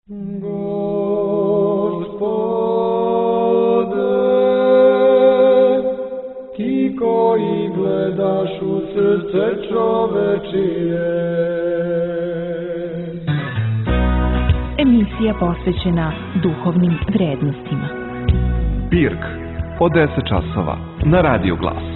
Gospode, ti koji gledaš u srce čovečije. Emisija posvećena duhovnim vrednostima. Pirk od 10 časova na Radio Glas.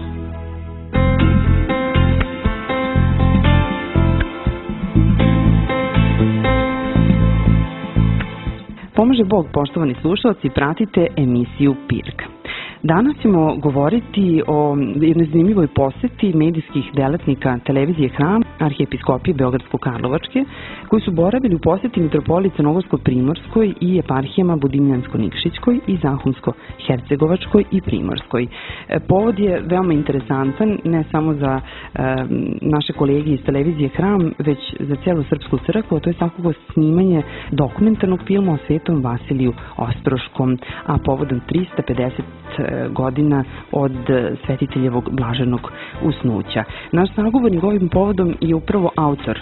Pomože Bog, poštovani slušalci, pratite emisiju Pirk. Danas ćemo govoriti o jednoj zanimljivoj poseti medijskih delatnika televizije Hram Arhijepiskopije Beogradsko-Karlovačke, koji su boravili u poseti mitropoliji Crnogorsko-Primorskoj i eparhijama Budimljansko-Nikšićkoj i Zahumsko-Hercegovačkoj i Primorskoj. Povod je veoma interesantan ne samo za naše kolege iz televizije Hram, već za celu Srpsku crkvu, a to je svakako snimanje dokumentarnog filma o Svetom Vasiliju Ostroškom, a povodom 350 godina od Svetiteljevog blaženog usnuća. Naš sagovornik ovim povodom je upravo autor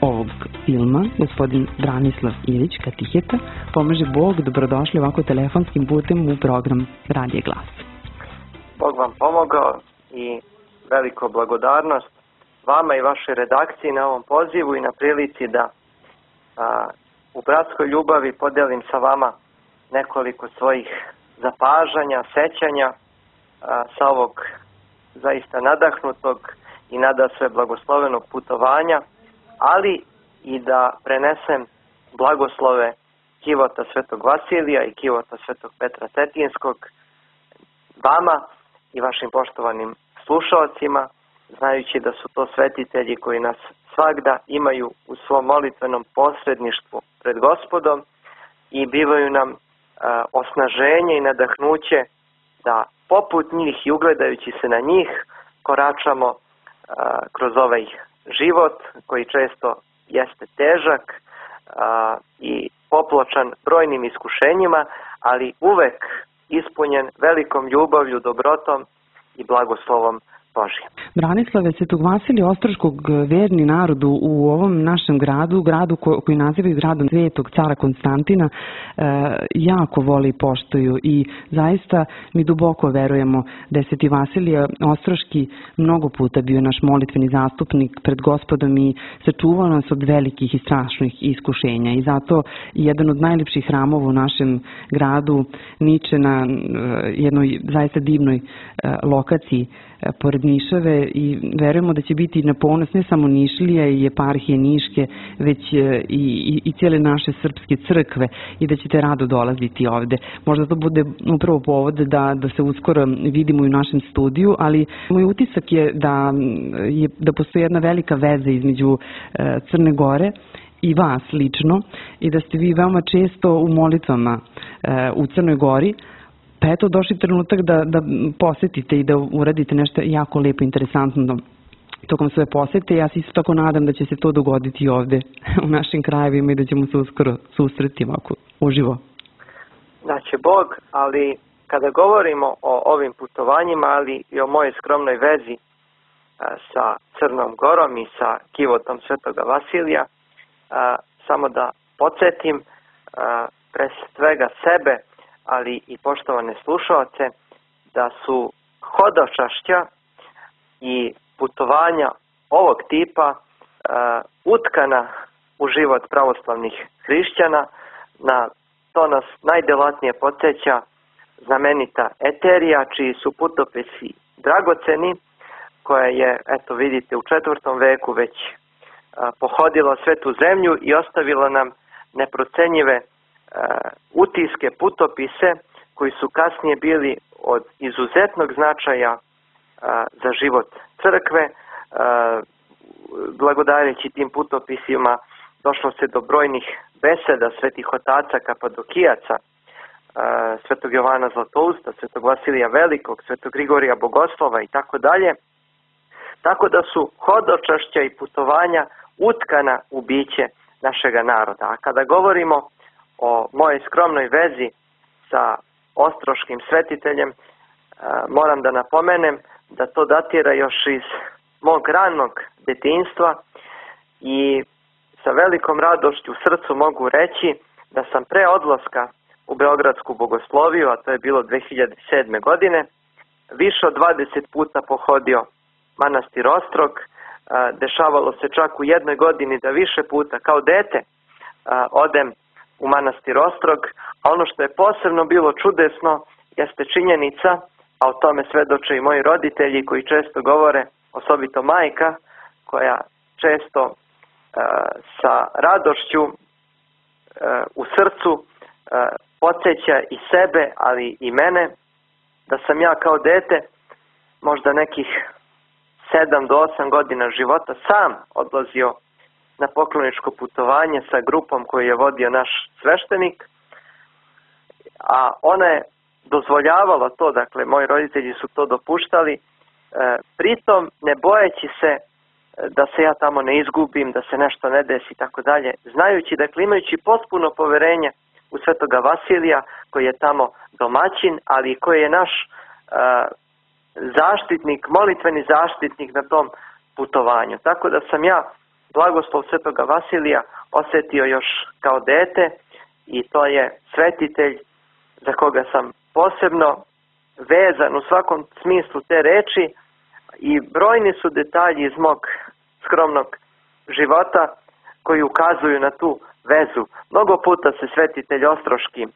ovog filma, gospodin Branislav Ilić, katiheta. Pomože Bog, dobrodošli ovako telefonskim putem u program Radio Glas. Bog vam pomogao i veliko blagodarnost vama i vašoj redakciji na ovom pozivu i na prilici da u bratskoj ljubavi podelim sa vama nekoliko svojih zapažanja, sećanja sa ovog zaista nadahnutog i nadasve blagoslovenog putovanja, ali i da prenesem blagoslove kivota Svetog Vasilija i kivota Svetog Petra Cetinskog vama i vašim poštovanim slušalcima, znajući da su to svetitelji koji nas svagda imaju u svom molitvenom posredništvu pred Gospodom i bivaju nam osnaženje i nadahnuće da poput njih i ugledajući se na njih koračamo kroz ovaj život koji često jeste težak i popločan brojnim iskušenjima, ali uvek ispunjen velikom ljubavlju, dobrotom i blagoslovom Božje. Branislave, Svetog Vasilija Ostroškog verni narodu u ovom našem gradu koji nazivaju gradom Svetog cara Konstantina, jako voli i poštuju i zaista mi duboko verujemo da je Sveti Vasilije Ostroški mnogo puta bio naš molitveni zastupnik pred Gospodom i sačuvao nas od velikih i strašnih iskušenja i zato jedan od najljepših hramova u našem gradu niče na jednoj zaista divnoj lokaciji pored Nišave i verujemo da će biti na ponos ne samo Nišlija i eparhije Niške, već i cijele naše srpske crkve i da ćete rado dolaziti ovde. Možda to bude upravo povod da se uskoro vidimo i u našem studiju, ali moj utisak je da postoji jedna velika veza između Crne Gore i vas lično i da ste vi veoma često u molitvama u Crnoj Gori. Pa eto, došli trenutak da posetite i da uradite nešto jako lepo, interesantno tokom svoje posete. Ja se isto tako nadam da će se to dogoditi i ovde u našim krajevima i da ćemo se uskoro susreti ovako uživo. Daće Bog, ali kada govorimo o ovim putovanjima, ali i o mojoj skromnoj vezi sa Crnom Gorom i sa kivotom Svetoga Vasilija, samo da podsjetim pre svega sebe, ali i poštovane slušalce, da su hodočašća i putovanja ovog tipa utkana u život pravoslavnih hrišćana. Na to nas najdelatnije podsjeća znamenita Eterija, čiji su putopisi dragoceni, koja je, eto vidite, u 4. veku već pohodila svetu zemlju i ostavila nam neprocenjive utiske, putopise koji su kasnije bili od izuzetnog značaja za život crkve. Blagodareći tim putopisima došlo se do brojnih beseda svetih otaca kapadokijaca, Svetog Jovana Zlatousta, Svetog Vasilija Velikog, Svetog Grigorija Bogoslova i tako dalje. Tako da su hodočašća i putovanja utkana u biće našega naroda. A kada govorimo o mojoj skromnoj vezi sa ostroškim svetiteljem, moram da napomenem da to datira još iz mog ranog detinjstva i sa velikom radošću u srcu mogu reći da sam pre odlaska u Beogradsku bogosloviju, a to je bilo 2007. godine, više od 20 puta pohodio manastir Ostrog. Dešavalo se čak u jednoj godini da više puta kao dete odem u manastir Ostrog, a ono što je posebno bilo čudesno jeste činjenica, a o tome svedoče i moji roditelji koji često govore, osobito majka, koja često sa radošću u srcu podsjeća i sebe, ali i mene, da sam ja kao dete možda nekih 7 do 8 godina života sam odlazio na pokloničko putovanje sa grupom koju je vodio naš sveštenik, a ona je dozvoljavala to, dakle moji roditelji su to dopuštali, pritom ne bojeći se da se ja tamo ne izgubim, da se nešto ne desi i tako dalje, znajući, dakle imajući potpuno poverenje u Svetoga Vasilija koji je tamo domaćin, ali i koji je naš zaštitnik, molitveni zaštitnik na tom putovanju. Tako da sam ja blagoslov Svetoga Vasilija osjetio još kao dete i to je svetitelj za koga sam posebno vezan u svakom smislu te reči i brojni su detalji iz mog skromnog života koji ukazuju na tu vezu. Mnogo puta se svetitelj Ostroški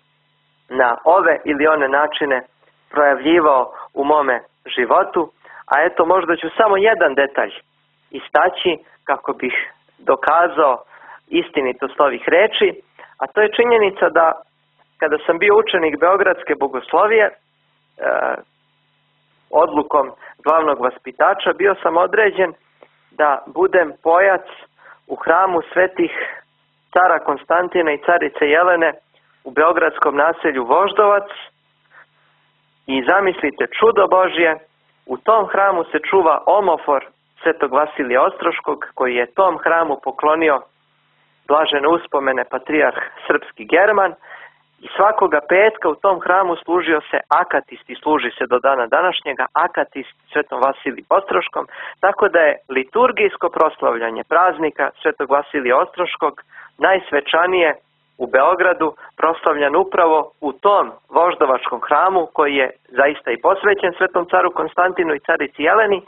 na ove ili one načine projavljivao u mome životu, a eto možda ću samo jedan detalj istaći kako bih dokazao istinitost ovih reči, a to je činjenica da kada sam bio učenik Beogradske bogoslovije, odlukom glavnog vaspitača bio sam određen da budem pojac u hramu svetih cara Konstantina i carice Jelene u beogradskom naselju Voždovac. I zamislite čudo Božje, u tom hramu se čuva omofor Svetog Vasilija Ostroškog koji je tom hramu poklonio blažene uspomene patrijarh srpski German i svakoga petka u tom hramu služio se akatist i služi se do dana današnjega akatist Svetom Vasiliju Ostroškom, tako da je liturgijsko proslavljanje praznika Svetog Vasilija Ostroškog najsvečanije u Beogradu proslavljan upravo u tom voždovačkom hramu koji je zaista i posvećen Svetom caru Konstantinu i carici Jeleni,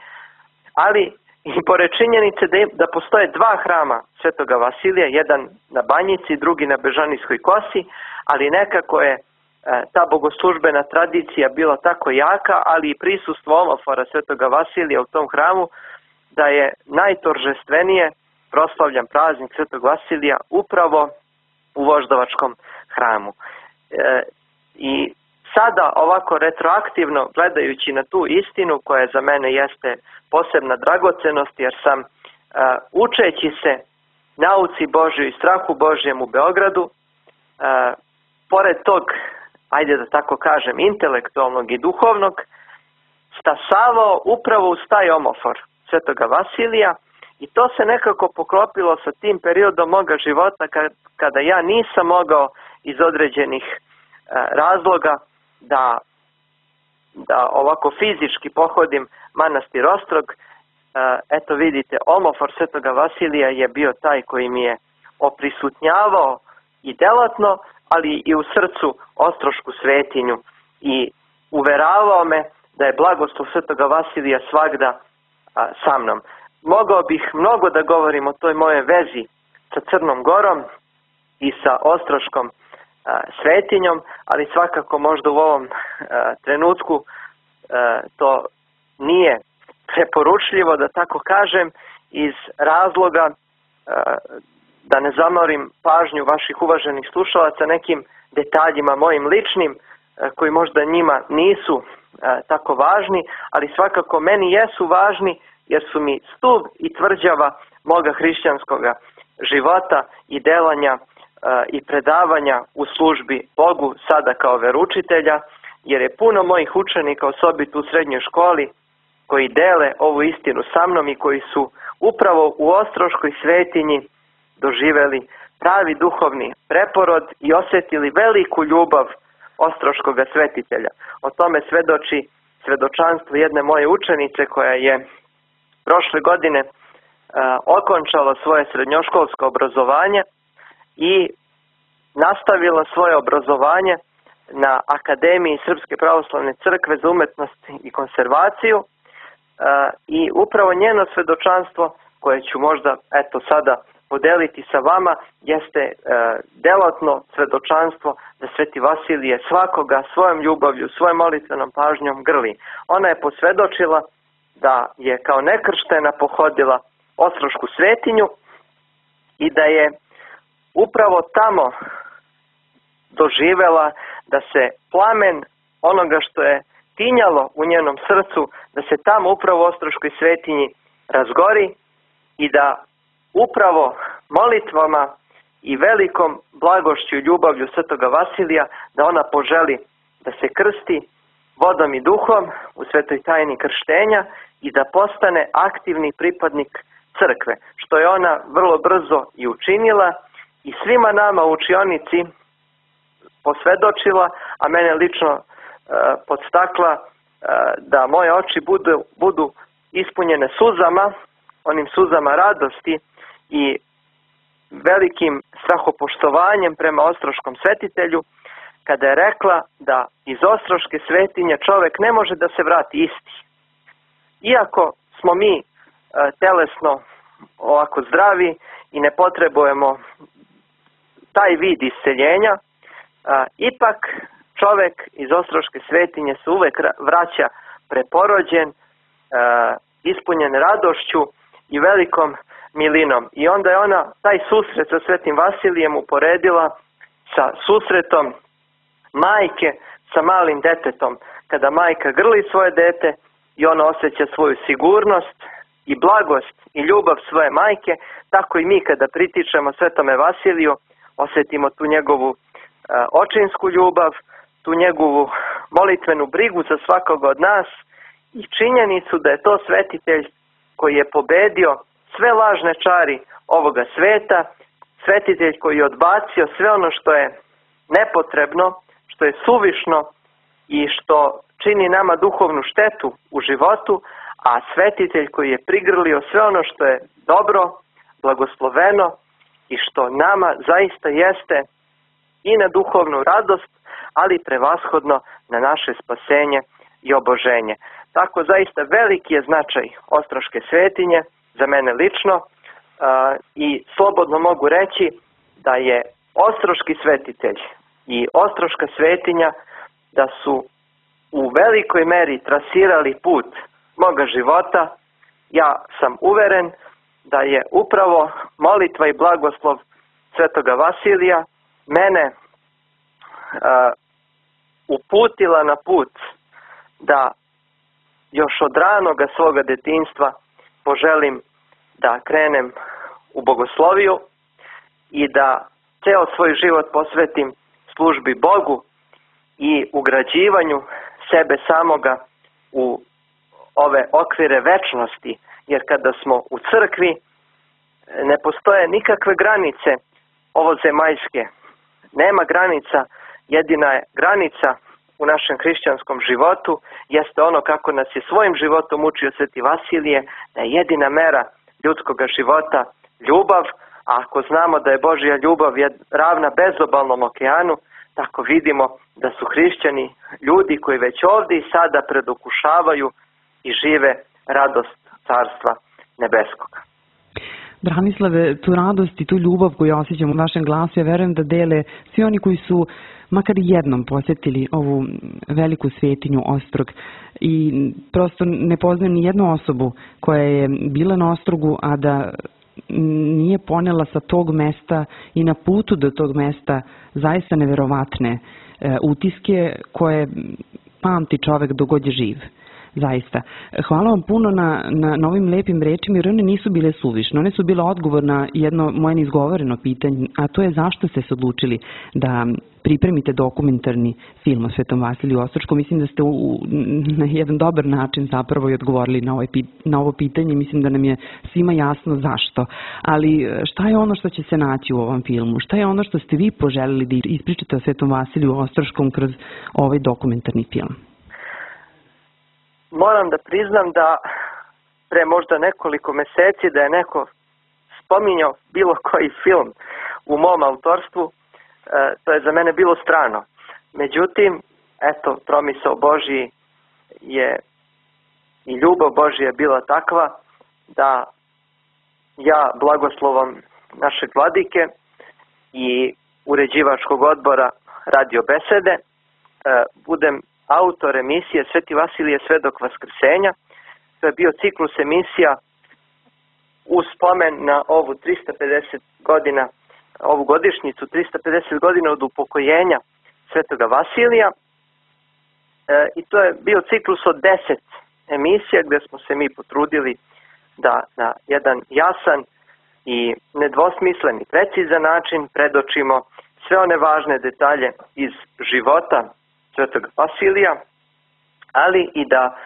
ali i pored činjenice da postoje dva hrama Svetoga Vasilija, jedan na Banjici, drugi na Bežanijskoj kosi, ali nekako je ta bogoslužbena tradicija bila tako jaka, ali i prisustvo omofora Svetoga Vasilija u tom hramu, da je najtoržestvenije proslavljan praznik Svetog Vasilija upravo u voždovačkom hramu. I sada ovako retroaktivno gledajući na tu istinu koja za mene jeste posebna dragocenost, jer sam učeći se nauci Božjoj i strahu Božjem u Beogradu, pored tog, ajde da tako kažem, intelektualnog i duhovnog, stasavao upravo uz taj omofor Svetoga Vasilija i to se nekako poklopilo sa tim periodom moga života kada ja nisam mogao iz određenih razloga da ovako fizički pohodim manastir Ostrog. Eto vidite, omofor Svetoga Vasilija je bio taj koji mi je oprisutnjavao i delatno, ali i u srcu ostrošku svetinju i uveravao me da je blagoslov Svetoga Vasilija svagda sa mnom. Mogao bih mnogo da govorim o toj moje vezi sa Crnom Gorom i sa ostroškom svetinjom, ali svakako možda u ovom trenutku to nije preporučljivo, da tako kažem, iz razloga da ne zamorim pažnju vaših uvaženih slušalaca nekim detaljima mojim ličnim koji možda njima nisu tako važni, ali svakako meni jesu važni jer su mi stup i tvrđava moga hrišćanskoga života i delanja i predavanja u službi Bogu sada kao veroučitelja, jer je puno mojih učenika, osobito u srednjoj školi, koji dele ovu istinu sa mnom i koji su upravo u ostroškoj svetinji doživeli pravi duhovni preporod i osjetili veliku ljubav ostroškoga svetitelja. O tome svedoči svedočanstvo jedne moje učenice koja je prošle godine okončala svoje srednjoškolsko obrazovanje i nastavila svoje obrazovanje na Akademiji Srpske pravoslavne crkve za umetnost i konservaciju i upravo njeno svedočanstvo, koje ću možda sada podeliti sa vama, jeste delotno svedočanstvo da Sveti Vasilije svakoga svojom ljubavlju, svojom molitvenom pažnjom grli. Ona je posvedočila da je kao nekrštena pohodila Ostrošku svetinju i da je upravo tamo doživela da se plamen onoga što je tinjalo u njenom srcu, da se tamo upravo u Ostroškoj svetinji razgori i da upravo molitvama i velikom blagošću i ljubavlju Svetoga Vasilija da ona poželi da se krsti vodom i duhom u svetoj tajni krštenja i da postane aktivni pripadnik crkve, što je ona vrlo brzo i učinila i svima nama u učionici posvedočila, a mene lično podstakla da moje oči budu ispunjene suzama, onim suzama radosti i velikim strahopoštovanjem prema ostroškom svetitelju, kada je rekla da iz Ostroške svetinje čovek ne može da se vrati isti. Iako smo mi telesno ovako zdravi i ne potrebujemo taj vid isceljenja, ipak čovek iz Ostroške svetinje se uvek vraća preporođen, ispunjen radošću i velikom milinom. I onda je ona taj susret sa Svetim Vasilijem uporedila sa susretom majke sa malim detetom. Kada majka grli svoje dete i ona osjeća svoju sigurnost i blagost i ljubav svoje majke, tako i mi kada pritičemo Svetome Vasiliju osjetimo tu njegovu očinsku ljubav, tu njegovu molitvenu brigu za svakoga od nas i činjenicu da je to svetitelj koji je pobedio sve lažne čari ovoga sveta, svetitelj koji je odbacio sve ono što je nepotrebno, što je suvišno i što čini nama duhovnu štetu u životu, a svetitelj koji je prigrlio sve ono što je dobro, blagosloveno i što nama zaista jeste i na duhovnu radost, ali prevashodno na naše spasenje i oboženje. Tako zaista veliki je značaj Ostroške svetinje za mene lično i slobodno mogu reći da je Ostroški svetitelj i Ostroška svetinja da su u velikoj meri trasirali put moga života. Ja sam uveren da je upravo molitva i blagoslov Svetoga Vasilija mene uputila na put da još od ranoga svoga detinjstva poželim da krenem u bogosloviju i da ceo svoj život posvetim službi Bogu i ugrađivanju sebe samoga u ove okvire večnosti, jer kada smo u crkvi ne postoje nikakve granice ovozemaljske. Nema granica, jedina je granica u našem hrišćanskom životu jeste ono kako nas je svojim životom učio Sveti Vasilije, da je jedina mera ljudskog života ljubav, a ako znamo da je Božja ljubav ravna bezobalnom okeanu, tako vidimo da su hrišćani ljudi koji već ovdje i sada predokušavaju i žive radost Carstva Nebeskoga. Branislave, tu radost i tu ljubav koju osjećam u vašem glasu, ja verujem da dele svi oni koji su makar jednom posjetili ovu veliku svetinju Ostrog i prosto ne poznajem ni jednu osobu koja je bila na Ostrogu, a da nije ponela sa tog mesta i na putu do tog mesta zaista neverovatne utiske koje pamti čovek dok god je živ. Zaista. Hvala vam puno na ovim lepim rečima, jer one nisu bile suvišne. One su bile odgovor na jedno moje neizgovoreno pitanje, a to je zašto ste se odlučili da pripremite dokumentarni film o Svetom Vasiliju Ostroškom. Mislim da ste na jedan dobar način zapravo i odgovorili na ovo pitanje. Mislim da nam je svima jasno zašto. Ali šta je ono što će se naći u ovom filmu? Šta je ono što ste vi poželili da ispričate o Svetom Vasiliju Ostroškom kroz ovaj dokumentarni film? Moram da priznam da pre možda nekoliko meseci da je neko spominjao bilo koji film u mom autorstvu, to je za mene bilo strano. Međutim, eto, promisao Božji je i ljubav Božja je bila takva da ja blagoslovom našeg vladike i uređivačkog odbora Radio Besede budem autor emisije Sveti Vasilije Svedok Vaskrsenja. To je bio ciklus emisija u spomen na ovu 350 godina, ovu godišnjicu 350 godina od upokojenja Svetoga Vasilija. I to je bio ciklus od 10 emisija gdje smo se mi potrudili da na jedan jasan i nedvosmislen i precizan način predočimo sve one važne detalje iz života Svetoga Vasilija, ali i da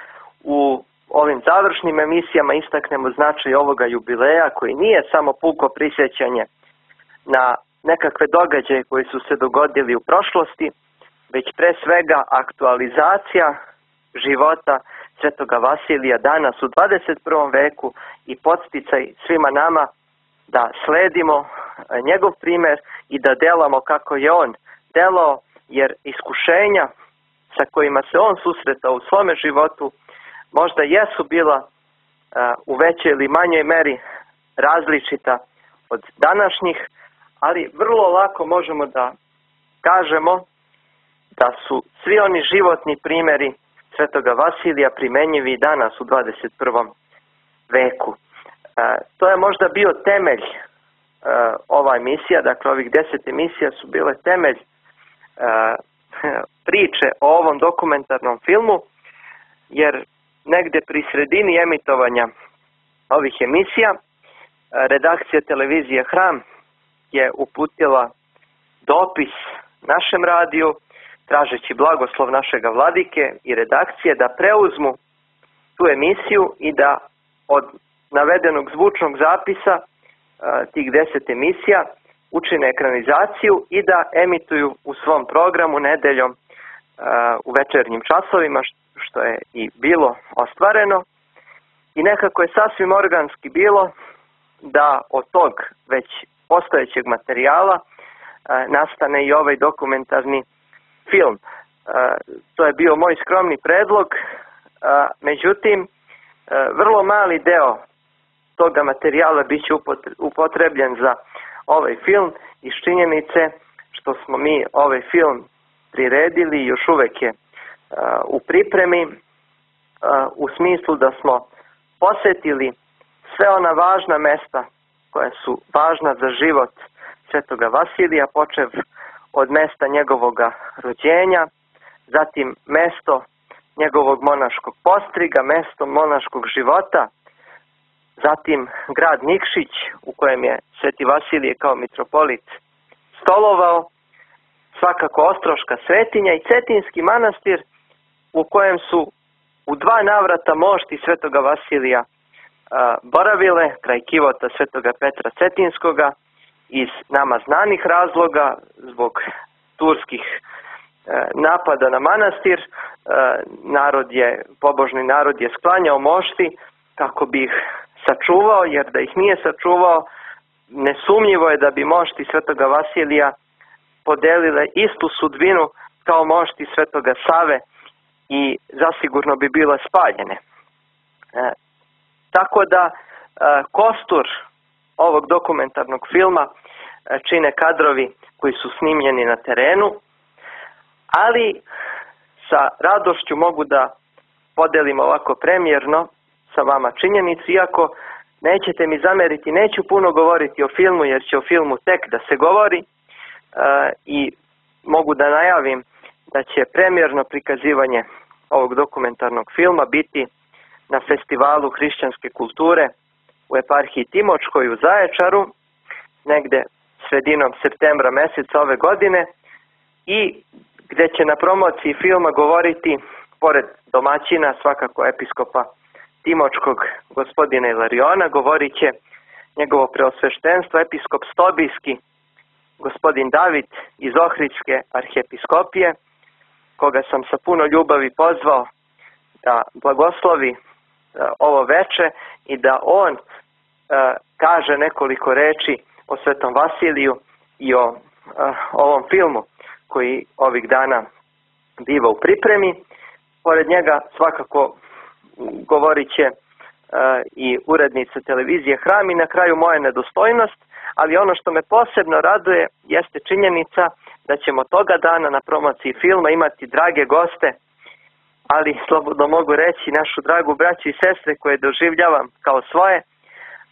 u ovim završnim emisijama istaknemo značaj ovoga jubileja koji nije samo puko prisjećanje na nekakve događaje koji su se dogodili u prošlosti, već pre svega aktualizacija života Svetoga Vasilija danas u 21. veku i podsticaj svima nama da sledimo njegov primjer i da delamo kako je on delao, jer iskušenja sa kojima se on susretao u svome životu možda jesu bila u većoj ili manjoj meri različita od današnjih, ali vrlo lako možemo da kažemo da su svi oni životni primjeri Svetoga Vasilija primenjivi i danas u 21. veku. To je možda bio temelj ova emisija, dakle ovih 10 emisija su bile temelj priče o ovom dokumentarnom filmu, jer negde pri sredini emitovanja ovih emisija redakcija televizije Hram je uputila dopis našem radiju tražeći blagoslov našega vladike i redakcije da preuzmu tu emisiju i da od navedenog zvučnog zapisa tih 10 emisija učine ekranizaciju i da emituju u svom programu nedeljom u večernjim časovima, što je i bilo ostvareno. I nekako je sasvim organski bilo da od tog već postojećeg materijala nastane i ovaj dokumentarni film. To je bio moj skromni predlog, međutim, vrlo mali deo toga materijala bit će upotrebljen za ovaj film iz činjenice što smo mi ovaj film priredili i još uvek je u pripremi, u smislu da smo posetili sve ona važna mesta koja su važna za život Svetoga Vasilija, počev od mesta njegovoga rođenja, zatim mesto njegovog monaškog postriga, mesto monaškog života, zatim grad Nikšić u kojem je Sveti Vasilije kao mitropolit stolovao, svakako Ostroška svetinja i Cetinski manastir u kojem su u 2 navrata mošti Svetoga Vasilija boravile kraj kivota Svetoga Petra Cetinskoga iz nama znanih razloga zbog turskih napada na manastir. Pobožni narod je sklanjao mošti kako bi ih sačuvao, jer da ih nije sačuvao, nesumnjivo je da bi mošti Svetoga Vasilija podelile istu sudbinu kao mošti Svetoga Save i zasigurno bi bile spaljene. Tako da kostur ovog dokumentarnog filma čine kadrovi koji su snimljeni na terenu, ali sa radošću mogu da podelim ovako premijerno sa vama činjenicu, iako nećete mi zameriti, neću puno govoriti o filmu jer će o filmu tek da se govori i mogu da najavim da će premijerno prikazivanje ovog dokumentarnog filma biti na Festivalu hrišćanske kulture u eparhiji Timočkoj u Zaječaru, negde sredinom septembra meseca ove godine, i gde će na promociji filma govoriti, pored domaćina, svakako episkopa Timočkog gospodina Ilariona, govorit će njegovo preosveštenstvo episkop Stobijski gospodin David iz Ohridske arhijepiskopije, koga sam sa puno ljubavi pozvao da blagoslovi ovo veče i da on kaže nekoliko reči o Svetom Vasiliju i o ovom filmu koji ovih dana biva u pripremi. Pored njega svakako govorit će i urednica televizije Hram i na kraju moja nedostojnost, ali ono što me posebno raduje jeste činjenica da ćemo toga dana na promociji filma imati drage goste, ali slobodno mogu reći našu dragu braću i sestre koje doživljavam kao svoje,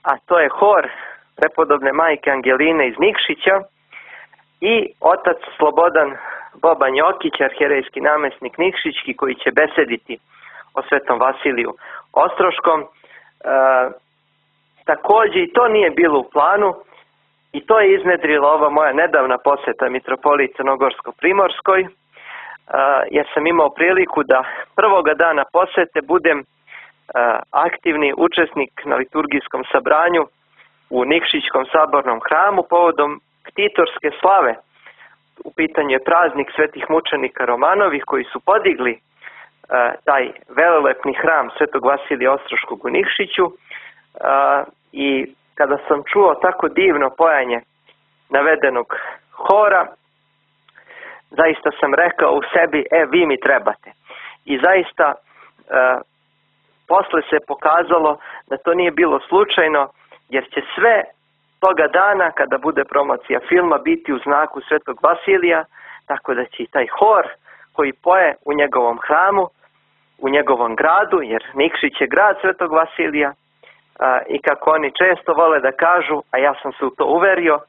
a to je hor prepodobne majke Angeline iz Nikšića i otac Slobodan Boban Jokić, arhijerejski namjesnik Nikšićki, koji će besediti o Svetom Vasiliju Ostroškom. Također i to nije bilo u planu i to je iznedrila ova moja nedavna posjeta mitropoliji Crnogorsko-Primorskoj, jer sam imao priliku da prvoga dana posjete budem aktivni učesnik na liturgijskom sabranju u Nikšićkom sabornom hramu povodom ktitorske slave. U pitanju je praznik svetih mučenika Romanovih koji su podigli taj velelepni hram Svetog Vasilija Ostroškog u Nikšiću, i kada sam čuo tako divno pojanje navedenog hora, zaista sam rekao u sebi, vi mi trebate. I zaista posle se pokazalo da to nije bilo slučajno, jer će sve toga dana kada bude promocija filma biti u znaku Svetog Vasilija, tako da će i taj hor koji poje u njegovom hramu, u njegovom gradu, jer Nikšić je grad Svetog Vasilija, i kako oni često vole da kažu, a ja sam se u to uverio,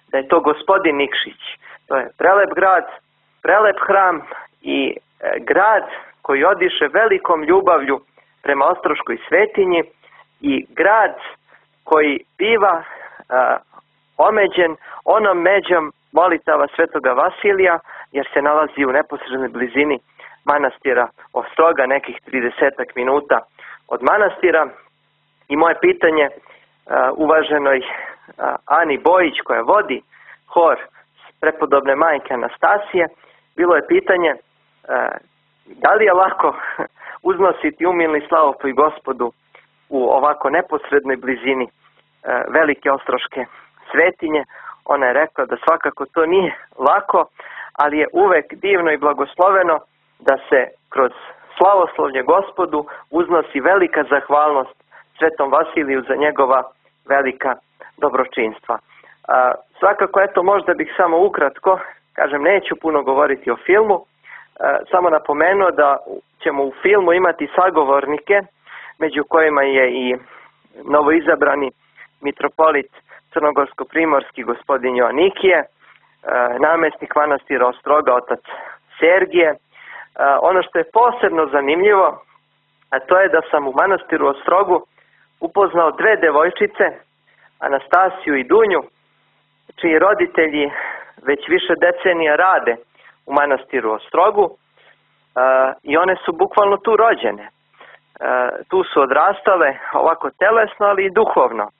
da je to gospodin Nikšić. To je prelep grad, prelep hram i grad koji odiše velikom ljubavlju prema Ostroškoj svetinji i grad koji biva omeđen onom međom molitava Svetoga Vasilija, jer se nalazi u neposrednoj blizini manastira Ostroga, nekih 30 minuta od manastira. I moje pitanje uvaženoj Ani Bojić, koja vodi hor prepodobne majke Anastasije, bilo je pitanje da li je lako uznositi umilni slavopoj Gospodu u ovako neposrednoj blizini velike Ostroške svetinje. Ona je rekla da svakako to nije lako, ali je uvek divno i blagosloveno da se kroz slavoslovlje Gospodu uznosi velika zahvalnost Svetom Vasiliju za njegova velika dobročinstva. Svakako, eto, možda bih samo ukratko, kažem, neću puno govoriti o filmu, samo napomenuo da ćemo u filmu imati sagovornike, među kojima je i novoizabrani mitropolit Crnogorsko-Primorski gospodin Joanikije, namjesnik manastira Ostroga otac Sergije. Ono što je posebno zanimljivo, a to je da sam u manastiru Ostrogu upoznao dve devojčice, Anastasiju i Dunju, čiji roditelji već više decenija rade u manastiru Ostrogu, i one su bukvalno tu rođene. Tu su odrastale ovako telesno, ali i duhovno.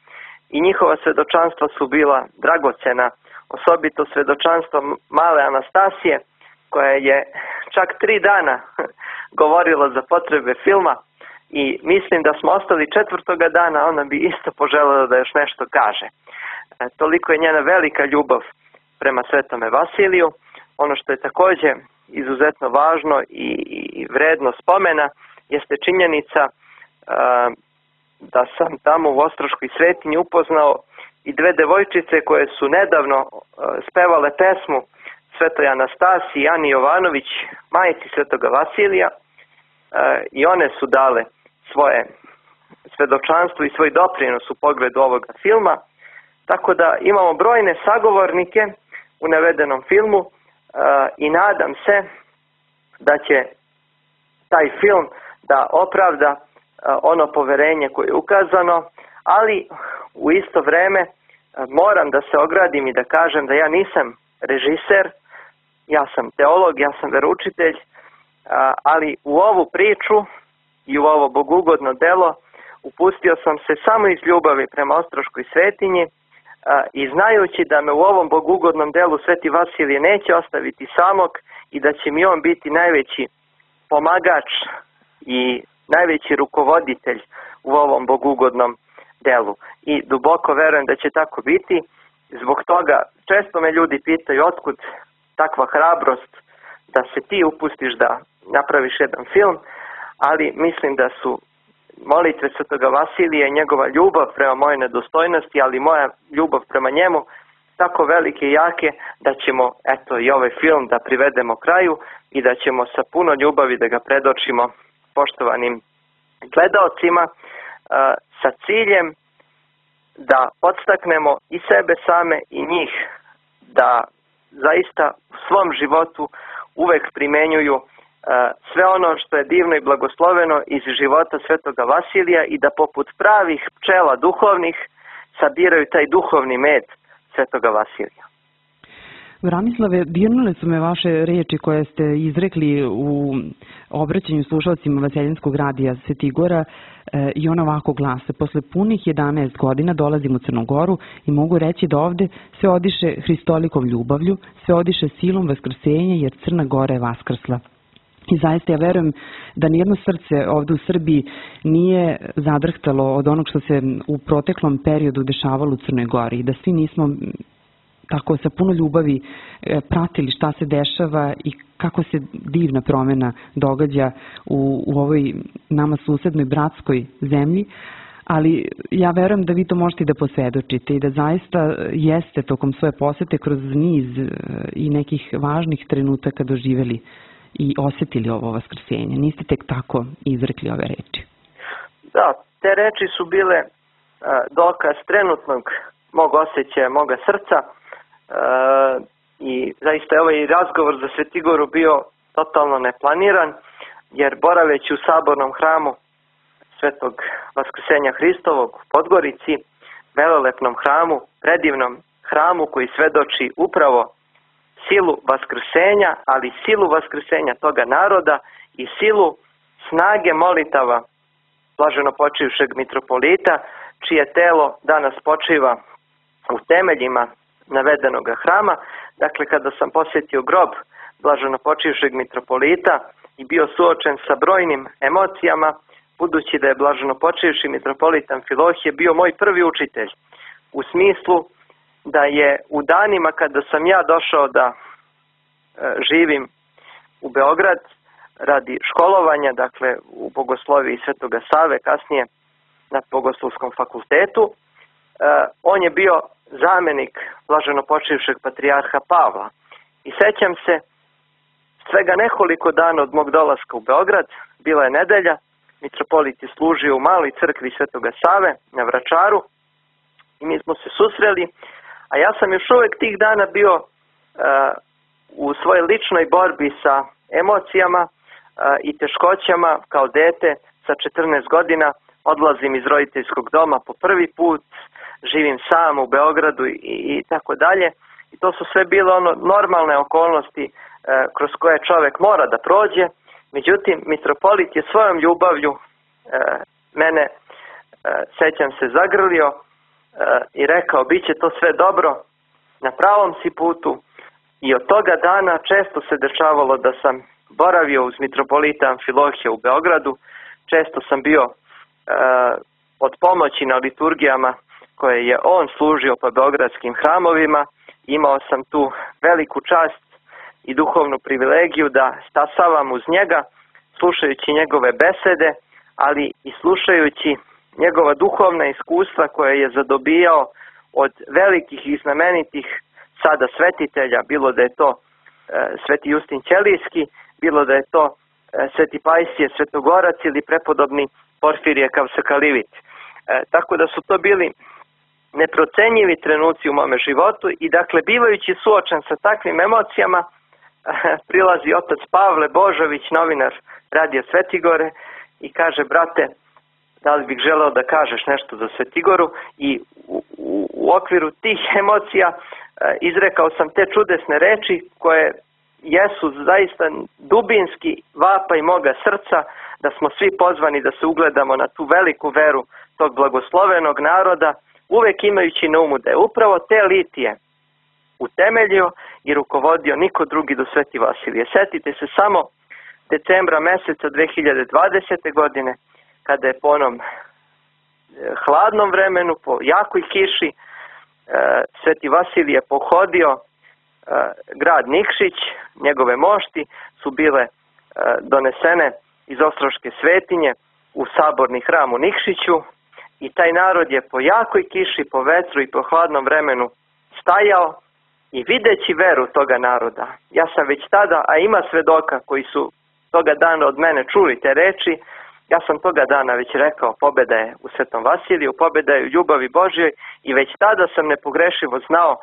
I njihova svedočanstva su bila dragocena, osobito svedočanstvo male Anastasije, koja je čak 3 dana govorila za potrebe filma, i mislim da smo ostali 4. dana, ona bi isto poželjela da još nešto kaže. Toliko je njena velika ljubav prema Svetome Vasiliju. Ono što je također izuzetno važno i vredno spomena jeste činjenica da sam tamo u Ostroškoj svetinji upoznao i dve devojčice koje su nedavno spevale pesmu Svetoj Anastasiji, Ani Jovanović, majci Svetoga Vasilija, i one su dale svoje svedočanstvo i svoj doprinos u pogledu ovoga filma, tako da imamo brojne sagovornike u navedenom filmu, i nadam se da će taj film da opravda ono poverenje koje je ukazano, ali u isto vreme moram da se ogradim i da kažem da ja nisam režiser, ja sam teolog, ja sam veroučitelj, ali u ovu priču i u ovo bogugodno delo upustio sam se samo iz ljubavi prema Ostroškoj svetinji, i znajući da me u ovom bogugodnom delu Sveti Vasilije neće ostaviti samog i da će mi on biti najveći pomagač i najveći rukovoditelj u ovom bogugodnom delu. I duboko verujem da će tako biti. Zbog toga često me ljudi pitaju otkud takva hrabrost da se ti upustiš da napraviš jedan film, ali mislim da su molitve Svetoga Vasilija i njegova ljubav prema moje nedostojnosti, ali moja ljubav prema njemu tako velike i jake da ćemo i ovaj film da privedemo kraju i da ćemo sa puno ljubavi da ga predočimo poštovanim gledaocima sa ciljem da podstaknemo i sebe same i njih da zaista u svom životu uvek primenjuju sve ono što je divno i blagosloveno iz života Svetoga Vasilija i da poput pravih pčela duhovnih sabiraju taj duhovni med Svetoga Vasilija. Branislave, dirnule su me vaše reči koje ste izrekli u obraćanju slušalcima Vaseljenskog radija Svetigora i ona ovako glase: posle punih 11 godina dolazim u Crnu Goru i mogu reći da ovde sve odiše Hristolikom ljubavlju, sve odiše silom vaskrsenja jer Crna Gora je vaskrsla. I zaista ja verujem da nijedno srce ovde u Srbiji nije zadrhtalo od onog što se u proteklom periodu dešavalo u Crnoj Gori i da svi nismo tako sa puno ljubavi pratili šta se dešava i kako se divna promena događa u ovoj nama susednoj bratskoj zemlji. Ali ja verujem da vi to možete da posvedočite i da zaista jeste tokom svoje posete kroz niz i nekih važnih trenutaka doživjeli i osjetili ovo vaskrsenje. Niste tek tako izrekli ove reči. Da, te reči su bile dokaz trenutnog mog osjećaja, moga srca i zaista je ovaj razgovor za Svetigoru bio totalno neplaniran, jer boraveći u sabornom hramu Svetog Vaskrsenja Hristovog u Podgorici, velelepnom hramu, predivnom hramu koji svedoči upravo silu vaskrsenja, ali silu vaskrsenja toga naroda i silu snage molitava blaženo počivšeg mitropolita, čije telo danas počiva u temeljima navedenog hrama. Dakle, kada sam posjetio grob blaženo počivšeg mitropolita i bio suočen sa brojnim emocijama, budući da je blaženo počivši mitropolit Amfilohije bio moj prvi učitelj, u smislu da je u danima kada sam ja došao da živim u Beograd radi školovanja, dakle u bogosloviji Svetoga Save, kasnije na Bogoslovskom fakultetu, on je bio zamenik blaženo počivšeg patrijarha Pavla. I sećam se, svega nekoliko dana od mog dolaska u Beograd, bila je nedelja, mitropolit je služio u maloj crkvi Svetoga Save na Vračaru i mi smo se susreli, a ja sam još uvek tih dana bio u svojoj ličnoj borbi sa emocijama i teškoćama. Kao dete sa 14 godina odlazim iz roditeljskog doma po prvi put, živim sam u Beogradu i tako dalje. I to su sve bile normalne okolnosti kroz koje čovjek mora da prođe. Međutim, mitropolit je svojom ljubavlju mene, sećam se, zagrlio i rekao: bit će to sve dobro, na pravom si putu. I od toga dana često se dešavalo da sam boravio uz mitropolita Amfilohija u Beogradu, često sam bio od pomoći na liturgijama koje je on služio po beogradskim hramovima. Imao sam tu veliku čast i duhovnu privilegiju da stasavam uz njega, slušajući njegove besede, ali i slušajući njegova duhovna iskustva koje je zadobijao od velikih i znamenitih sada svetitelja, bilo da je to Sveti Justin Ćelijski, bilo da je to Sveti Pajsije Svetogorac ili prepodobni Porfirije Kavsakalivit. Tako da su to bili neprocenjivi trenuci u mome životu i dakle, bivajući suočen sa takvim emocijama, prilazi otac Pavle Božović, novinar Radija Svetigore, i kaže: brate, da li bih želeo da kažeš nešto za Svetigoru? I u okviru tih emocija izrekao sam te čudesne reči koje jesu zaista dubinski vapaj moga srca, da smo svi pozvani da se ugledamo na tu veliku veru tog blagoslovenog naroda, uvek imajući na umu da je upravo te litije utemeljio i rukovodio niko drugi do Sveti Vasilije. Setite se samo decembra meseca 2020. godine, kada je po onom hladnom vremenu, po jakoj kiši, Sveti Vasilije pohodio grad Nikšić, njegove mošti su bile donesene iz Ostroške svetinje u saborni hram u Nikšiću i taj narod je po jakoj kiši, po vetru i po hladnom vremenu stajao i videći veru toga naroda. Ja sam već tada, a ima svedoka koji su toga dana od mene čuli te reči, ja sam toga dana već rekao, pobjeda je u Svetom Vasiliju, pobjeda je u ljubavi Božjoj i već tada sam nepogrešivo znao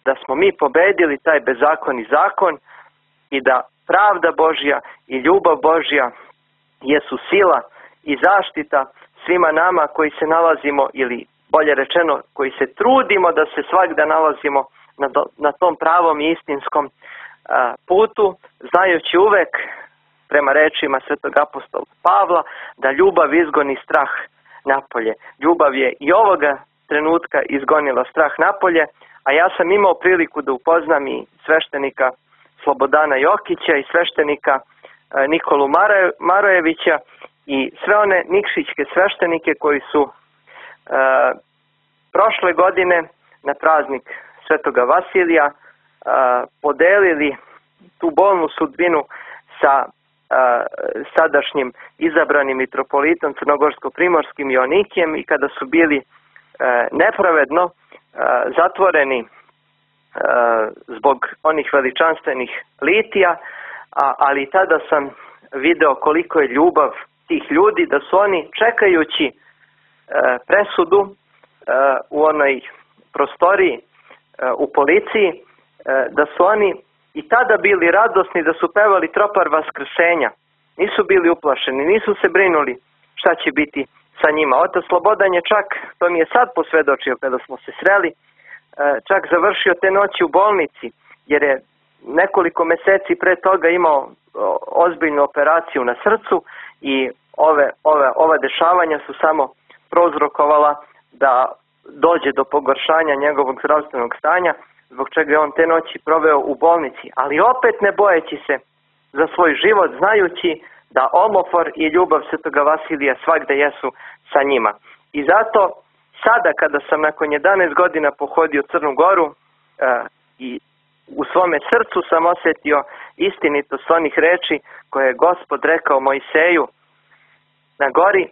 da smo mi pobedili taj bezakon zakon i da pravda Božja i ljubav Božja jesu sila i zaštita svima nama koji se nalazimo, ili bolje rečeno koji se trudimo da se svagda nalazimo na tom pravom i istinskom putu, znajući uvek prema rečima svetog apostola Pavla da ljubav izgoni strah napolje. Ljubav je i ovoga trenutka izgonila strah napolje, a ja sam imao priliku da upoznam i sveštenika Slobodana Jokića i sveštenika Nikolu Marojevića i sve one nikšićke sveštenike koji su prošle godine na praznik Svetoga Vasilija podelili tu bolnu sudbinu sa sadašnjim izabranim mitropolitom crnogorsko-primorskim Joanikijem i kada su bili nepravedno zatvoreni zbog onih veličanstvenih litija, ali tada sam video koliko je ljubav tih ljudi, da su oni čekajući presudu u onoj prostoriji u policiji, da su oni i tada bili radosni, da su pevali tropar vaskrsenja. Nisu bili uplašeni, nisu se brinuli šta će biti sa njima. Otac Slobodan je čak, to mi je sad posvedočio kada smo se sreli, čak završio te noći u bolnici, jer je nekoliko meseci pre toga imao ozbiljnu operaciju na srcu i ova dešavanja su samo prouzrokovala da dođe do pogoršanja njegovog zdravstvenog stanja, zbog čega je on te noći proveo u bolnici, ali opet ne bojeći se za svoj život, znajući da omofor i ljubav Svetoga Vasilija svagda jesu sa njima. I zato sada kada sam nakon 11 godina pohodio Crnu Goru i u svome srcu sam osjetio istinitost onih reči koje je Gospod rekao Mojseju na gori,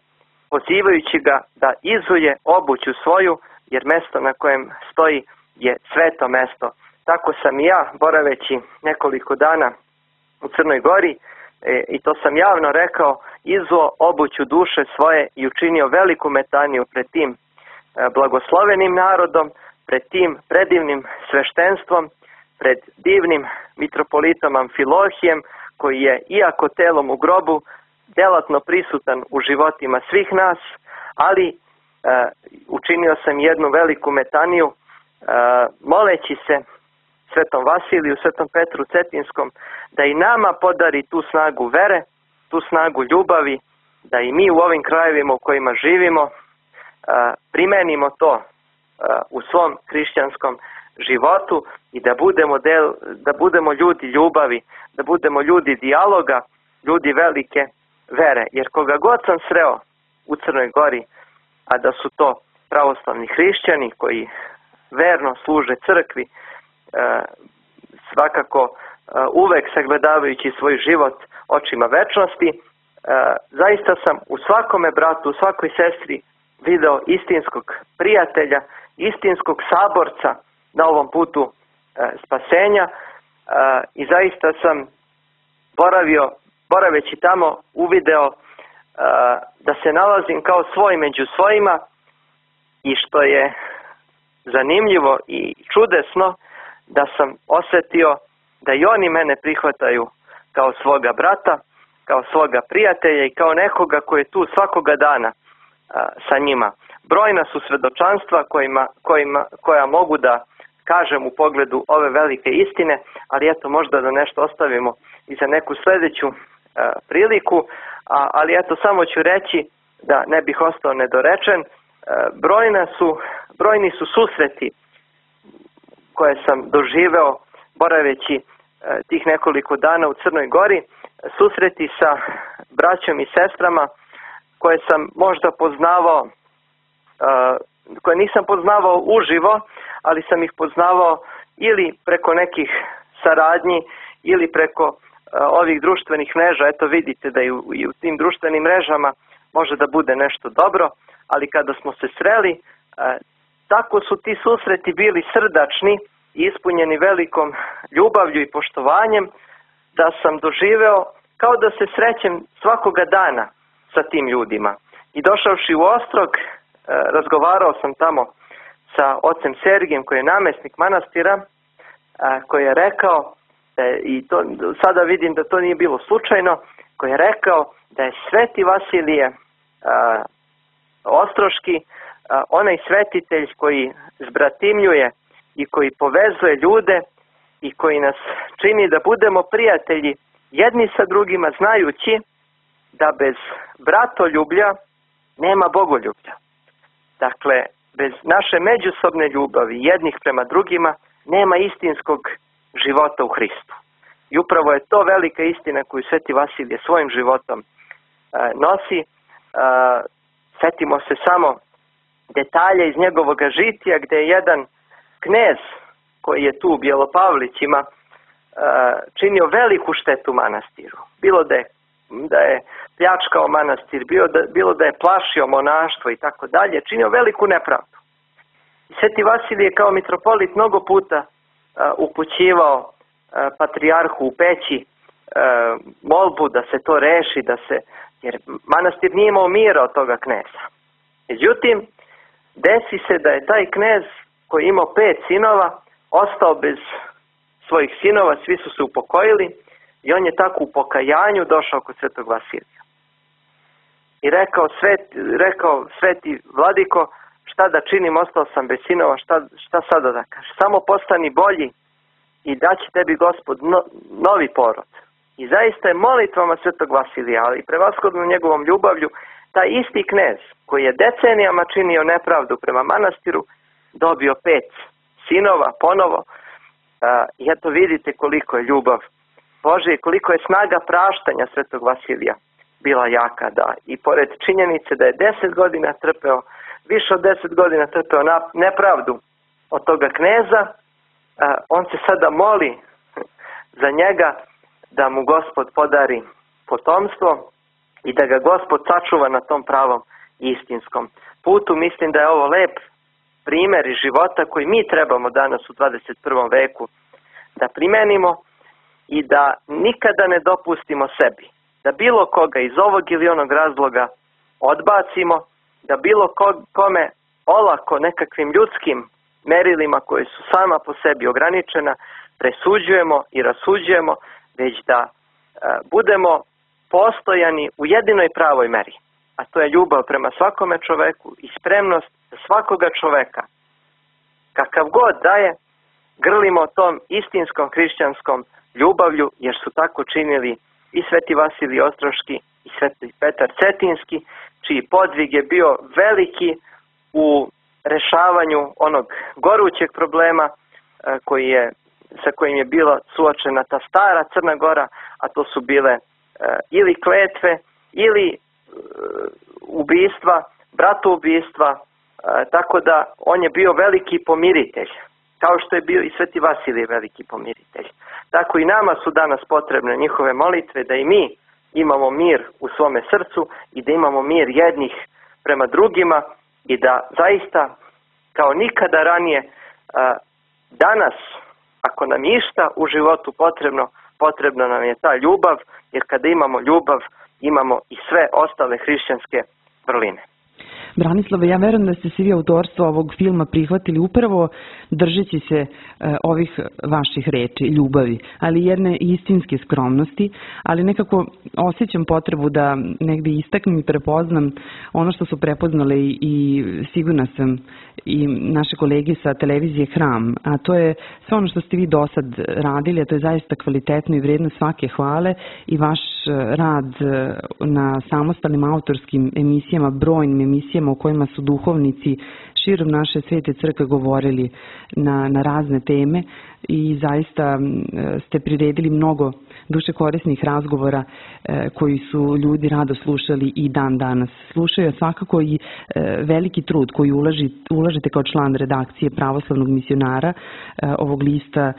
pozivajući ga da izuje obuću svoju, jer mesto na kojem stoji je sveto mesto. Tako sam i ja, boraveći nekoliko dana u Crnoj Gori, i to sam javno rekao, izuo obuću duše svoje i učinio veliku metaniju pred tim blagoslovenim narodom, pred tim predivnim sveštenstvom, pred divnim mitropolitom Amfilohijem, koji je, iako telom u grobu, delatno prisutan u životima svih nas, ali učinio sam jednu veliku metaniju moleći se Svetom Vasiliju, Svetom Petru Cetinskom, da i nama podari tu snagu vere, tu snagu ljubavi, da i mi u ovim krajevima u kojima živimo primenimo to u svom hrišćanskom životu i da budemo ljudi ljubavi, da budemo ljudi dijaloga, ljudi velike vere. Jer koga god sam sreo u Crnoj Gori, a da su to pravoslavni hrišćani koji verno služe crkvi, svakako uvek sagledavajući svoj život očima večnosti, zaista sam u svakome bratu, u svakoj sestri video istinskog prijatelja, istinskog saborca na ovom putu spasenja i zaista sam boraveći tamo uvideo da se nalazim kao svoj među svojima i što je zanimljivo i čudesno, da sam osjetio da i oni mene prihvataju kao svoga brata, kao svoga prijatelja i kao nekoga koji je tu svakoga dana sa njima. Brojna su svedočanstva koja mogu da kažem u pogledu ove velike istine, ali eto možda da nešto ostavimo i za neku sljedeću priliku, ali eto samo ću reći da ne bih ostao nedorečen, brojni su susreti koje sam doživeo boraveći tih nekoliko dana u Crnoj Gori, susreti sa braćom i sestrama koje sam možda poznavao koje nisam poznavao uživo, ali sam ih poznavao ili preko nekih saradnji ili preko ovih društvenih mreža. Eto vidite da i u tim društvenim mrežama može da bude nešto dobro, ali kada smo se sreli, tako su ti susreti bili srdačni i ispunjeni velikom ljubavlju i poštovanjem, da sam doživeo kao da se srećem svakoga dana sa tim ljudima. I došavši u Ostrog, razgovarao sam tamo sa ocem Sergijem, koji je namjesnik manastira, koji je rekao, i to sada vidim da to nije bilo slučajno, koji je rekao da je Sveti Vasilije Ostroški onaj svetitelj koji zbratimljuje i koji povezuje ljude i koji nas čini da budemo prijatelji jedni sa drugima, znajući da bez bratoljublja nema bogoljublja. Dakle, bez naše međusobne ljubavi jednih prema drugima nema istinskog života u Hristu. I upravo je to velika istina koju Sveti Vasilije svojim životom nosi. Sjetimo se samo detalja iz njegovog žitija, gdje je jedan knez koji je tu u Bjelopavlićima činio veliku štetu manastiru. Bilo da je pljačkao manastir, bilo da je plašio monaštvo i tako dalje, činio veliku nepravdu. Sveti Vasilije kao mitropolit mnogo puta upućivao patrijarhu u Peći molbu da se to reši, jer manastir nije imao mira od toga kneza. Međutim, desi se da je taj knez koji je imao 5 sinova ostao bez svojih sinova, svi su se upokojili i on je tako u pokajanju došao kod Svetog Vasilija. I rekao Sveti Vladiko, šta da činim, ostao sam bez sinova, šta sada da kažem? Samo postani bolji i daće tebi Gospod novi porod. I zaista je molitvama Svetog Vasilija, ali i prevashodno njegovom ljubavlju, taj isti knez koji je decenijama činio nepravdu prema manastiru, dobio 5 sinova ponovo. I eto vidite koliko je ljubav Božja i koliko je snaga praštanja Svetog Vasilija bila jaka. Da. I pored činjenice da je 10 godina trpeo, više od 10 godina trpeo nepravdu od toga kneza, on se sada moli za njega da mu Gospod podari potomstvo i da ga Gospod sačuva na tom pravom istinskom putu. Mislim da je ovo lep primjer iz života koji mi trebamo danas u 21. veku da primenimo i da nikada ne dopustimo sebi da bilo koga iz ovog ili onog razloga odbacimo, da bilo kome olako nekakvim ljudskim merilima koje su sama po sebi ograničena presuđujemo i rasuđujemo, već da budemo postojani u jedinoj pravoj meri, a to je ljubav prema svakome čoveku i spremnost da svakoga čoveka, kakav god da je, grlimo tom istinskom hrišćanskom ljubavlju, jer su tako činili i Sveti Vasilije Ostroški i Sveti Petar Cetinski, čiji podvig je bio veliki u rešavanju onog gorućeg problema sa kojim je bila suočena ta stara Crna Gora, a to su bile ili kletve ili ubistva, bratoubistva, tako da on je bio veliki pomiritelj, kao što je bio i Sveti Vasilije veliki pomiritelj. Tako i nama su danas potrebne njihove molitve, da i mi imamo mir u svome srcu i da imamo mir jednih prema drugima i da zaista kao nikada ranije danas, ako nam je išta u životu potrebna nam je ta ljubav, jer kada imamo ljubav imamo i sve ostale hrišćanske vrline. Branislave, ja verujem da ste se vi autorstvo ovog filma prihvatili upravo držeći se ovih vaših reči, ljubavi, ali jedne istinske skromnosti, ali nekako osjećam potrebu da negdje istaknem i prepoznam ono što su prepoznale i sigurna sam i naše kolege sa televizije Hram, a to je sve ono što ste vi do sad radili, a to je zaista kvalitetno i vrijedno svake hvale i vaš rad na samostalnim autorskim emisijama, brojnim emisijama u kojima su duhovnici širom naše svete crkve govorili na razne teme. i zaista ste priredili mnogo duše korisnih razgovora koji su ljudi rado slušali i dan danas slušaju, a svakako i veliki trud koji ulažete kao član redakcije Pravoslavnog misionara, ovog lista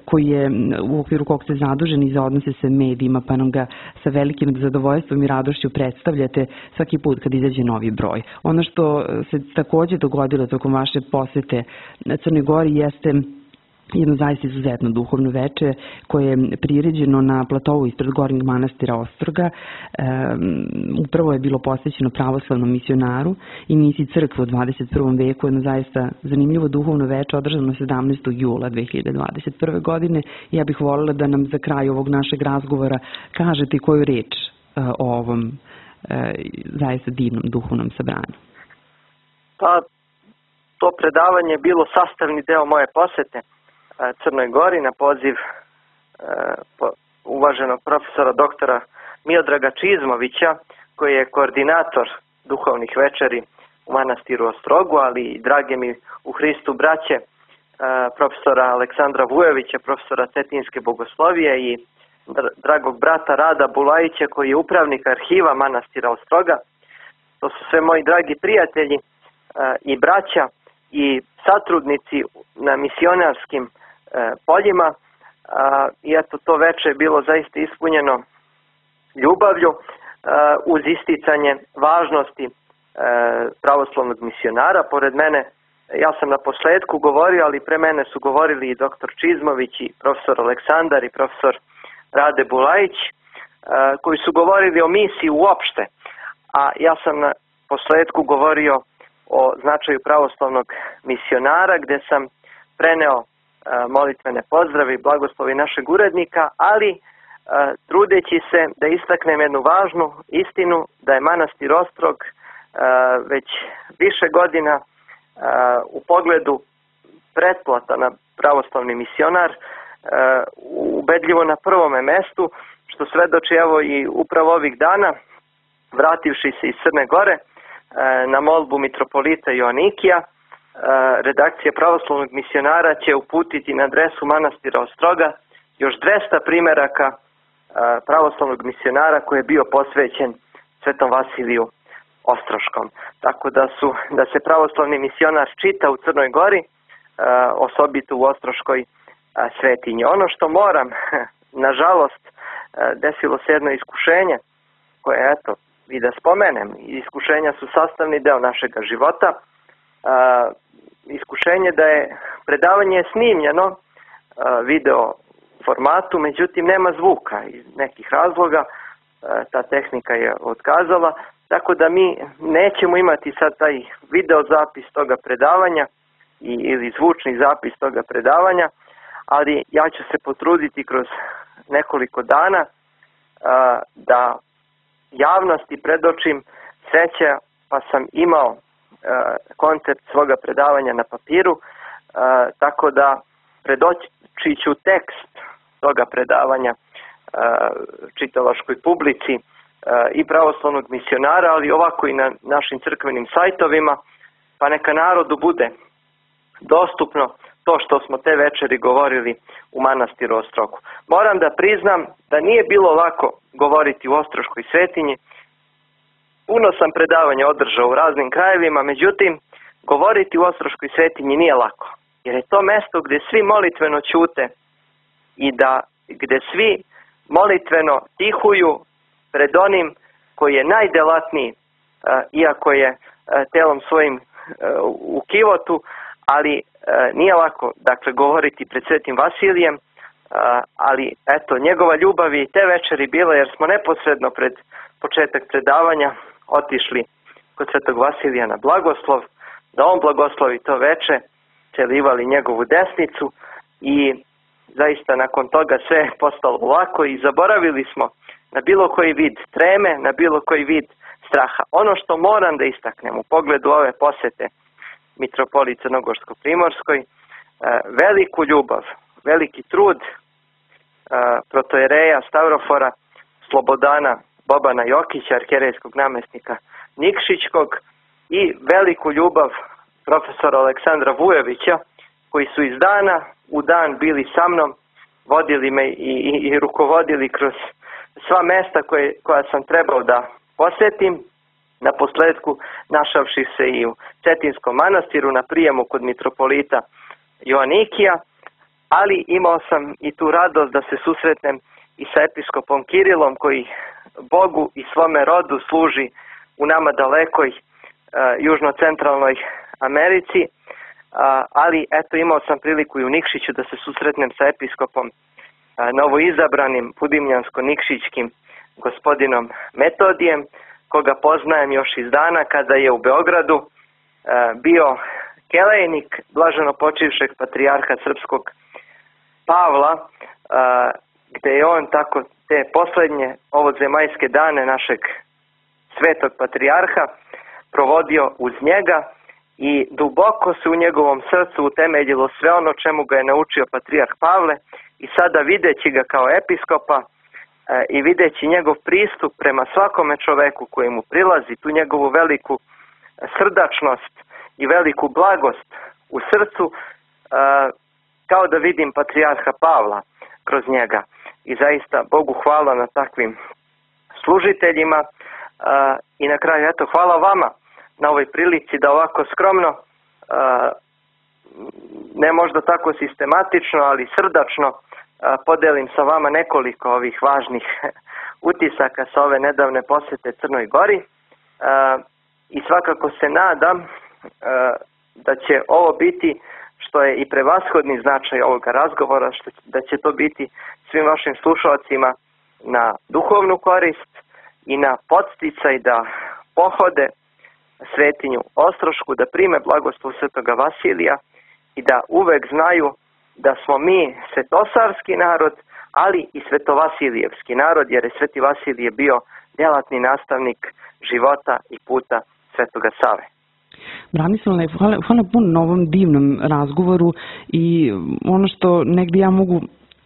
koji je u okviru kog ste zaduženi za odnose sa medijima, pa nam ga sa velikim zadovoljstvom i radošću predstavljate svaki put kad izađe novi broj. Ono što se takođe dogodilo tokom vaše posete Crnoj Gori jeste jedno zaista izuzetno duhovno veče koje je priređeno na platovu ispred Gornjeg manastira Ostroga. Upravo je bilo posvećeno pravoslavnom misionaru i misiji crkve u 21. veku, jedno zaista zanimljivo duhovno veče održano 17. jula 2021. godine. Ja bih voljela da nam za kraj ovog našeg razgovora kažete koju reč o ovom zaista divnom duhovnom sabranju. Pa, to predavanje je bilo sastavni deo moje posete Crnoj Gori na poziv uvaženog profesora doktora Miodraga Čizmovića, koji je koordinator duhovnih večeri u manastiru Ostrogu, ali i drage mi u Hristu braće profesora Aleksandra Vujovića, profesora Cetinske bogoslovije i dragog brata Rada Bulajića, koji je upravnik arhiva manastira Ostroga. To su sve moji dragi prijatelji i braća i satrudnici na misionarskim poljima, i eto, to veče je bilo zaista ispunjeno ljubavlju uz isticanje važnosti pravoslavnog misionara. Pored mene, ja sam na posledku govorio, ali pre mene su govorili i doktor Čizmović i profesor Aleksandar i profesor Rade Bulajić, koji su govorili o misiji uopšte, a ja sam na posledku govorio o značaju pravoslavnog misionara, gde sam preneo molitvene pozdrave i blagoslovi našeg urednika, ali trudeći se da istaknem jednu važnu istinu, da je manastir Ostrog već više godina u pogledu pretplata na pravoslavni misionar ubedljivo na prvome mestu, što svedoči evo i upravo ovih dana, vrativši se iz Crne Gore na molbu mitropolita Joanikija, redakcija pravoslavnog misionara će uputiti na adresu manastira Ostroga još 200 primeraka pravoslavnog misionara koji je bio posvećen Svetom Vasiliju Ostroškom. Tako da se pravoslavni misionar čita u Crnoj Gori, osobito u Ostroškoj svetinji. Ono što moram, nažalost, desilo se jedno iskušenje koje, eto, i da spomenem, iskušenja su sastavni deo našega života. Iskušenje da je predavanje snimljeno video formatu, međutim nema zvuka iz nekih razloga, ta tehnika je otkazala, tako da mi nećemo imati sad taj video zapis toga predavanja ili zvučni zapis toga predavanja, ali ja ću se potruditi kroz nekoliko dana da javnosti predočim sreća, pa sam imao koncept svoga predavanja na papiru, tako da predoći ću tekst toga predavanja čitalaškoj publici i pravoslavnog misionara, ali ovako i na našim crkvenim sajtovima, pa neka narodu bude dostupno to što smo te večeri govorili u manastiru Ostrogu. Moram da priznam da nije bilo lako govoriti u Ostroškoj svetinji. Puno sam predavanja održao u raznim krajevima, međutim, govoriti u Ostroškoj svetinji nije lako. Jer je to mesto gde svi molitveno ćute i gde svi molitveno tihuju pred onim koji je najdelatniji, iako je telom svojim u kivotu, ali nije lako, dakle, govoriti pred Svetim Vasilijem, ali eto, njegova ljubav je i te večeri bila, jer smo neposredno pred početak predavanja otišli kod Svetog Vasilija na blagoslov, da on blagoslovi to veče, celivali njegovu desnicu i zaista nakon toga sve je postalo lako i zaboravili smo na bilo koji vid treme, na bilo koji vid straha. Ono što moram da istaknem u pogledu ove posete mitropoliji Crnogorsko-Primorskoj, veliku ljubav, veliki trud protojereja Stavrofora Slobodana Bobana Jokića, arhijerejskog namestnika Nikšićkog, i veliku ljubav profesora Aleksandra Vujovića, koji su iz dana u dan bili sa mnom, vodili me i rukovodili kroz sva mesta koja sam trebao da posjetim, na posledku našavši se i u Cetinskom manastiru na prijemu kod mitropolita Joanikija, ali imao sam i tu radost da se susretnem i sa episkopom Kirilom, koji Bogu i svome rodu služi u nama dalekoj južno-centralnoj Americi, ali eto imao sam priliku i u Nikšiću da se susretnem sa episkopom novoizabranim Budimljansko-Nikšićkim gospodinom Metodijem, koga poznajem još iz dana kada je u Beogradu bio kelejnik blaženo počivšeg patrijarha srpskog Pavla, gde je on tako te poslednje ovodzemaljske dane našeg svetog patrijarha provodio uz njega i duboko se u njegovom srcu utemeljilo sve ono čemu ga je naučio patrijarh Pavle, i sada videći ga kao episkopa i videći njegov pristup prema svakome čoveku koji mu prilazi, tu njegovu veliku srdačnost i veliku blagost u srcu, kao da vidim patrijarha Pavla kroz njega. I zaista Bogu hvala na takvim služiteljima, i na kraju eto hvala vama na ovoj prilici da ovako skromno, ne možda tako sistematično, ali srdačno podelim sa vama nekoliko ovih važnih utisaka sa ove nedavne posete Crnoj Gori, i svakako se nadam da će ovo biti, što je i prevashodni značaj ovoga razgovora, da će to biti svim vašim slušalcima na duhovnu korist i na podsticaj da pohode svetinju Ostrošku, da prime blagoslov svetoga Vasilija i da uvek znaju da smo mi svetosavski narod, ali i svetovasilijevski narod, jer je Sveti Vasilije bio djelatni nastavnik života i puta svetoga Save. Branislave, hvala puno na ovom divnom razgovoru, i ono što negdje ja mogu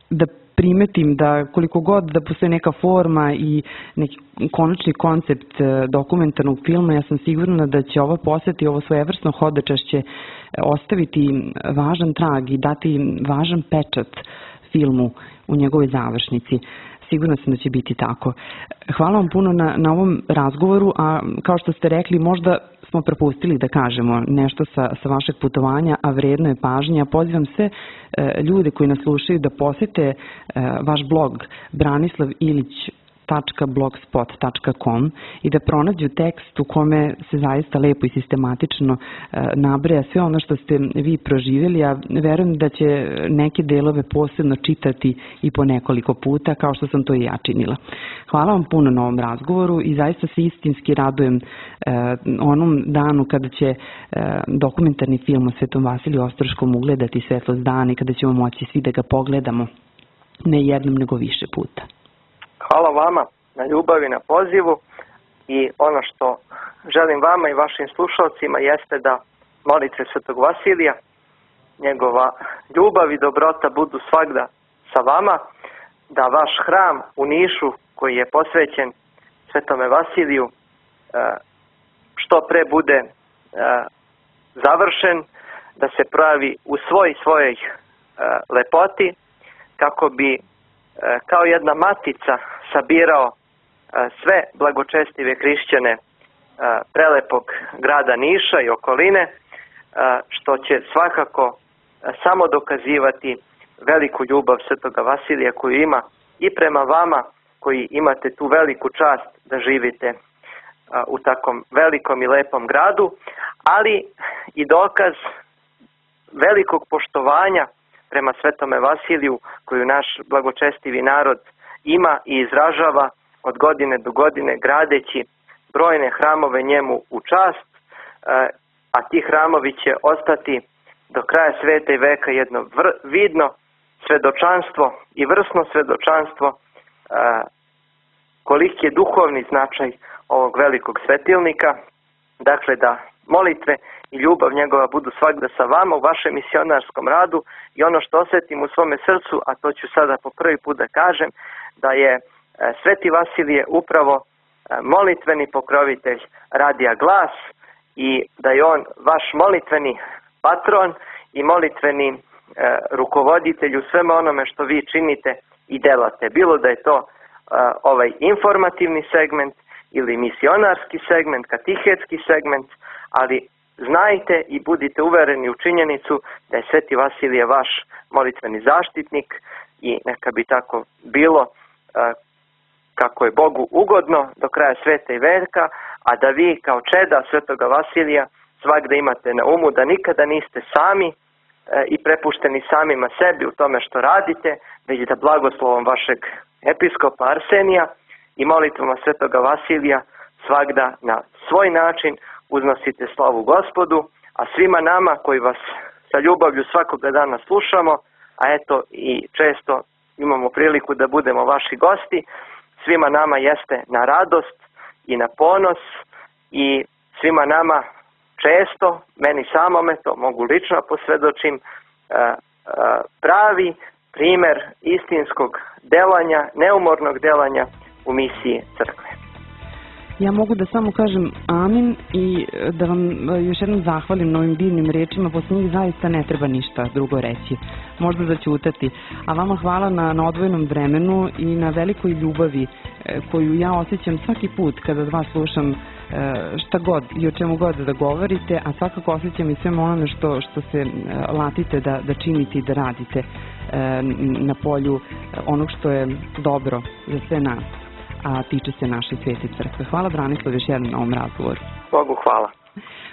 da primetim, da koliko god da postoji neka forma i neki konačni koncept dokumentarnog filma, ja sam sigurna da će ova poseta i ovo svojevrsno hodočašće ostaviti važan trag i dati važan pečat filmu u njegovoj završnici. Sigurna sam da će biti tako. Hvala vam puno na ovom razgovoru, a kao što ste rekli, možda smo propustili da kažemo nešto sa vašeg putovanja, a vredno je pažnje. Ja pozivam sve ljude koji nas slušaju da posete vaš blog branislavilić.blogspot.com i da pronađu tekst u kome se zaista lepo i sistematično nabraja sve ono što ste vi proživjeli, a verujem da će neke delove posebno čitati i po nekoliko puta, kao što sam to i ja činila. Hvala vam puno na ovom razgovoru i zaista se istinski radujem onom danu kada će dokumentarni film o Svetom Vasiliju Ostroškom ugledati svetlost dana i kada ćemo moći svi da ga pogledamo ne jednom nego više puta. Hvala vama na ljubavi, na pozivu, i ono što želim vama i vašim slušalcima jeste da molite Svetog Vasilija, njegova ljubav i dobrota budu svagda sa vama, da vaš hram u Nišu koji je posvećen Svetome Vasiliju što pre bude završen, da se pravi u svojoj lepoti, kako bi kao jedna matica sabirao sve blagočestive hrišćane prelepog grada Niša i okoline, što će svakako samo dokazivati veliku ljubav Svetoga Vasilija koju ima i prema vama koji imate tu veliku čast da živite u takom velikom i lepom gradu, ali i dokaz velikog poštovanja prema Svetome Vasiliju koju naš blagočestivi narod ima i izražava od godine do godine, gradeći brojne hramove njemu u čast, a ti hramovi će ostati do kraja sveta i veka jedno vidno svedočanstvo i vrsno svedočanstvo koliki je duhovni značaj ovog velikog svetilnika. Dakle, da molitve i ljubav njegova budu svagda sa vama u vašem misionarskom radu, i ono što osjetim u svome srcu, a to ću sada po prvi put da kažem, da je Sveti Vasilije upravo molitveni pokrovitelj Radija Glas i da je on vaš molitveni patron i molitveni rukovoditelj u sveme onome što vi činite i delate. Bilo da je to ovaj informativni segment ili misionarski segment, katehetski segment, ali znajte i budite uvereni u činjenicu da je Sveti Vasilije vaš molitveni zaštitnik i neka bi tako bilo kako je Bogu ugodno do kraja sveta i veka, a da vi kao čeda Svetoga Vasilija svagda imate na umu da nikada niste sami i prepušteni samima sebi u tome što radite, već da blagoslovom vašeg episkopa Arsenija i molitvama Svetoga Vasilija svagda na svoj način uznosite slavu Gospodu, a svima nama koji vas sa ljubavlju svakoga dana slušamo, a eto i često imamo priliku da budemo vaši gosti, svima nama jeste na radost i na ponos i svima nama često, meni samome, to mogu lično posvjedočim, pravi primer istinskog delanja, neumornog delanja u misiji crkve. Ja mogu da samo kažem amin i da vam još jednom zahvalim na ovim divnim rečima, posle njih zaista ne treba ništa drugo reći, možda da ćutati. A vama hvala na odvojenom vremenu i na velikoj ljubavi koju ja osjećam svaki put kada od vas slušam šta god i o čemu god da govorite, a svakako osjećam i svema onome što se latite da činite i da radite na polju onog što je dobro za sve nas, a tiče se naše Svete crkve. Hvala Branislav još jednom na ovom razgovoru. Bogu hvala.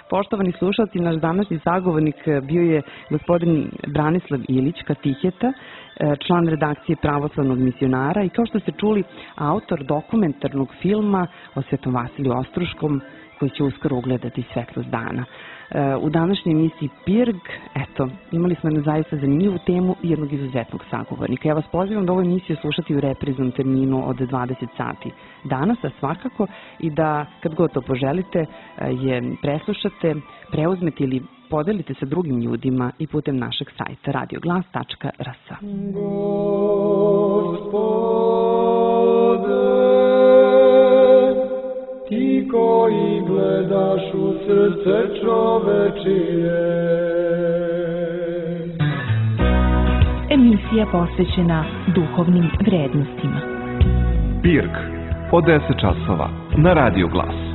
Poštovani slušalci, naš današnji sagovornik bio je gospodin Branislav Ilić, katiheta, član redakcije Pravoslavnog misionara i kao što ste čuli, autor dokumentarnog filma o Svetom Vasiliju Ostruškom koji će uskoro ugledati svetlost dana. U današnjoj emisiji Pirg, eto, imali smo jednu zaista zanimljivu temu i jednog izuzetnog sagovornika. Ja vas pozivam da ovu emisiju slušati u repriznom terminu od 20 sati danas, a svakako i da kad god to poželite je preslušate, preuzmete ili podelite sa drugim ljudima i putem našeg sajta radioglas.rs. Ti koji gledaš u srce čovečije. Emisija posvećena duhovnim vrednostima. Pirk od 10 časova na Radio Glas.